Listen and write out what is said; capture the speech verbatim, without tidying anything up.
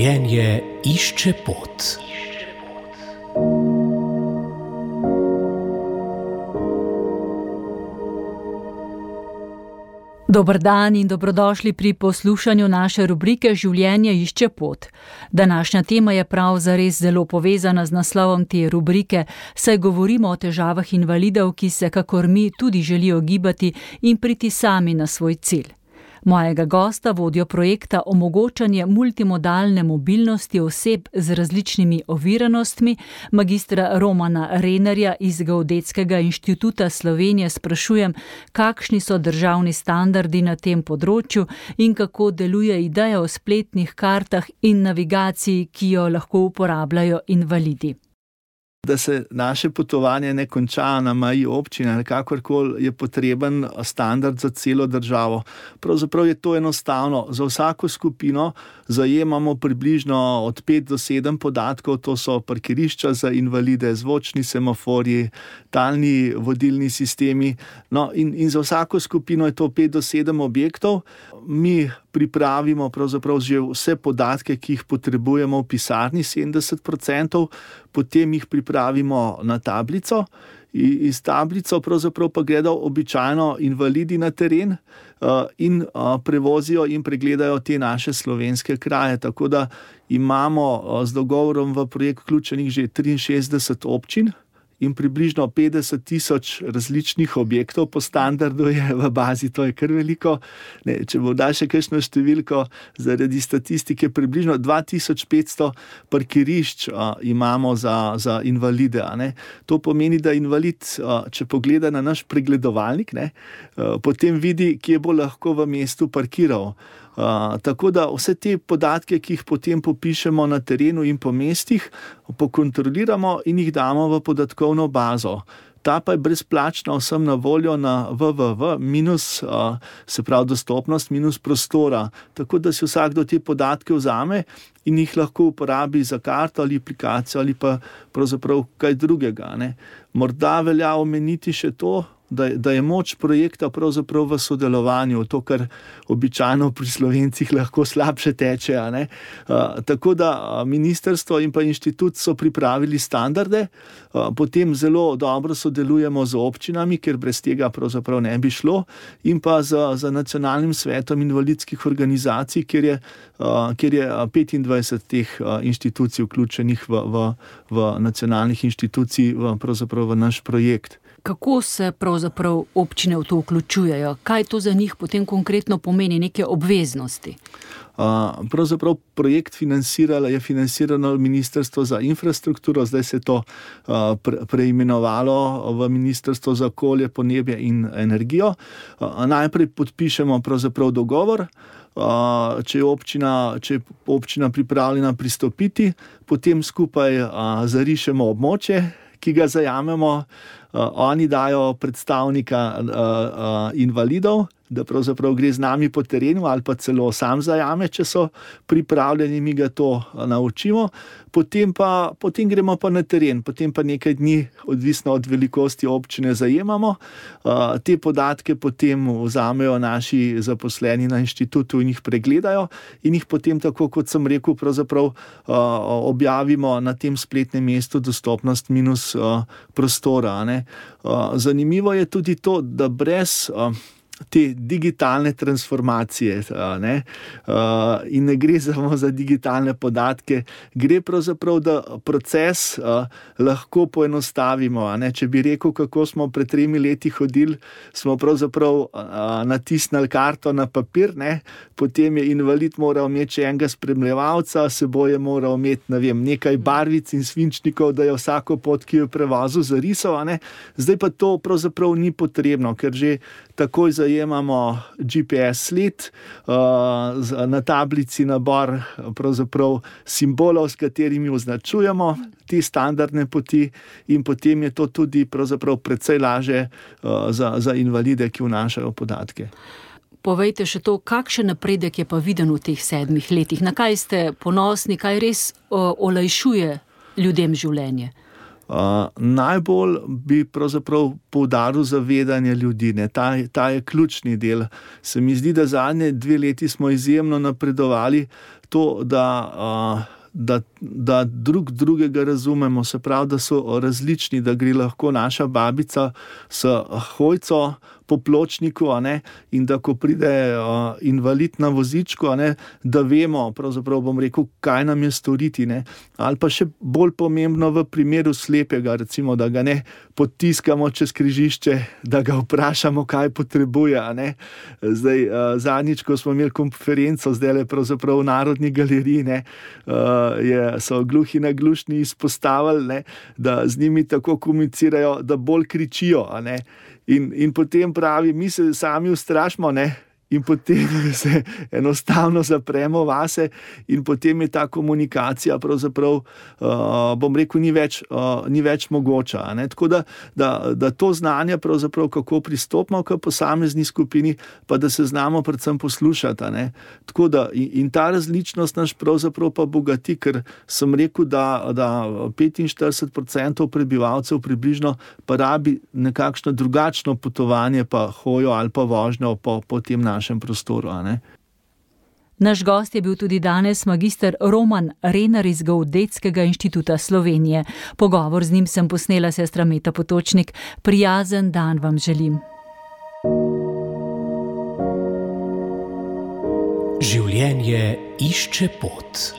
Življenje išče pot. Dober dan in dobrodošli pri poslušanju naše rubrike Življenje išče pot. Današnja tema je prav zares zelo povezana z naslovom te rubrike, saj govorimo o težavah invalidov, ki se kakor mi tudi želijo gibati in priti sami na svoj cilj. Mojega gosta, vodjo projekta Omogočanje multimodalne mobilnosti oseb z različnimi oviranostmi, magistra Romana Renerja iz Geodetskega inštituta Slovenije, sprašujem, kakšni so državni standardi na tem področju in kako deluje ideja o spletnih kartah in navigaciji, ki jo lahko uporabljajo invalidi. Da se naše potovanje ne konča na meji občine ali kakorkoli, je potreben standard za celo državo. Pravzaprav je to enostavno. Za vsako skupino zajemamo približno od pet do sedem podatkov, to so parkirišča za invalide, zvočni semaforji, talni vodilni sistemi. No, in, in za vsako skupino je to pet do sedem objektov. Mi pripravimo pravzaprav že vse podatke, ki jih potrebujemo v pisarni, sedemdeset procentov, potem jih pripravimo na tablico. Iz tablico pravzaprav pa gredo običajno invalidi na teren in prevozijo in pregledajo te naše slovenske kraje. Tako da imamo z dogovorom v projekt vključenih že triinšestdeset občin in približno petdeset tisoč različnih objektov. Po standardu je v bazi, to je kar veliko. Ne, če bo da še kakšno številko, zaradi statistike približno dva tisoč petsto parkirišč a, imamo za, za invalide. A ne. To pomeni, da invalid, a, če pogleda na naš pregledovalnik, ne, a, potem vidi, kje bo lahko v mestu parkiral. Uh, tako da vse te podatke, ki jih potem popišemo na terenu in po mestih, pokontroliramo in jih damo v podatkovno bazo. Ta pa je brezplačna vsem na voljo na w w w minus, uh, se pravi dostopnost minus prostora. Tako da si vsakdo te podatke vzame in jih lahko uporabi za karto ali aplikacijo ali pa pravzaprav kaj drugega. Ne. Morda velja omeniti še to, Da, da je moč projekta pravzaprav v sodelovanju, to, kar običajno pri Slovencih lahko slabše teče. A ne? A, tako da ministrstvo in pa inštitut so pripravili standarde, a, potem zelo dobro sodelujemo z občinami, ker brez tega pravzaprav ne bi šlo, in pa z, z nacionalnim svetom invalidskih organizacij, kjer je, a, kjer je petindvajset teh a, inštitucij vključenih v, v, v nacionalnih inštitucij v, pravzaprav v naš projekt. Kako se pravzaprav občine v to vključujejo? Kaj to za njih potem konkretno pomeni, neke obveznosti? Uh, pravzaprav projekt financiralo, je financirano Ministrstvo za infrastrukturo, zdaj se je to uh, pre, preimenovalo v Ministrstvo za okolje, podnebje in energijo. Uh, najprej podpišemo pravzaprav dogovor. Uh, če je občina, če je občina pripravljena pristopiti, potem skupaj uh, zarišemo območje, ki ga zajamemo. Uh, oni dajo predstavnika uh, uh, invalidov, da pravzaprav gre z nami po terenu ali pa celo sam zajame, če so pripravljeni, mi ga to naučimo. Potem pa, potem gremo pa na teren, potem pa nekaj dni, odvisno od velikosti občine, zajemamo. Uh, te podatke potem vzamejo naši zaposleni na inštitutu in jih pregledajo in jih potem, tako kot sem rekel, pravzaprav uh, objavimo na tem spletnem mestu dostopnost minus uh, prostora. Ne? Uh, zanimivo je tudi to, da brez uh, te digitalne transformacije, ne? Uh, in ne gre samo za digitalne podatke, gre pravzaprav, da proces uh, lahko poenostavimo. Ne? Če bi rekel, kako smo pred tremi leti hodili, smo pravzaprav uh, natisnili karto na papir, ne? Potem je invalid moral imeti še enega spremljevalca, seboj je moral imeti, ne vem, nekaj barvic in svinčnikov, da je vsako pot, ki jo prevozil, zarisal. Ne? Zdaj pa to pravzaprav ni potrebno, ker že takoj zajemamo G P S sled, uh, na tablici nabor pravzaprav simbolov, s katerimi označujemo te standardne poti, in potem je to tudi pravzaprav precej lažje uh, za, za invalide, ki vnašajo podatke. Povejte še to, kakšen napredek je pa viden v teh sedmih letih? Na kaj ste ponosni, kaj res uh, olajšuje ljudem življenje? Uh, najbolj bi pravzaprav poudaril zavedanje ljudi, ne? Ta, ta je ključni del. Se mi zdi, da zadnje dve leti smo izjemno napredovali to, da, uh, da, da drug drugega razumemo, se pravi, da so različni, da gre lahko naša babica s hojco po pločniku, a ne, in da ko pride uh, invalid na vozičku, a ne, da vemo, pravzaprav bom rekel, kaj nam je storiti, ne, ali pa še bolj pomembno v primeru slepega, recimo, da ga ne potiskamo čez križišče, da ga vprašamo, kaj potrebuje, a ne. Zdaj, uh, zadnjič, ko smo imeli konferenco, zdaj le pravzaprav v Narodni galeriji, ne, uh, je, so gluhi naglušni izpostavili, ne, da z njimi tako komunicirajo, da bolj kričijo, a ne. In, in potem pravi, mi se sami ustrašimo, ne? In potem se enostavno zapremo vase in potem je ta komunikacija pravzaprav, uh, bom rekel, ni več, uh, ni več mogoča. Ne? Tako da, da, da to znanje pravzaprav, kako pristopimo k posamezni skupini, pa da se znamo predvsem poslušati. Ne? Tako da in, in ta različnost naš pravzaprav pa bogati, ker sem rekel, da, da petinštirideset procentov prebivalcev približno pa rabi nekakšno drugačno potovanje, pa hojo ali pa vožnjo po, po tem našem našem prostoru, a ne? Naš gost je bil tudi danes magister Roman Renar iz Geodetskega inštituta Slovenije. Pogovor z njim sem posnela sestra Meta Potočnik. Prijazen dan vam želim. Življenje išče pot.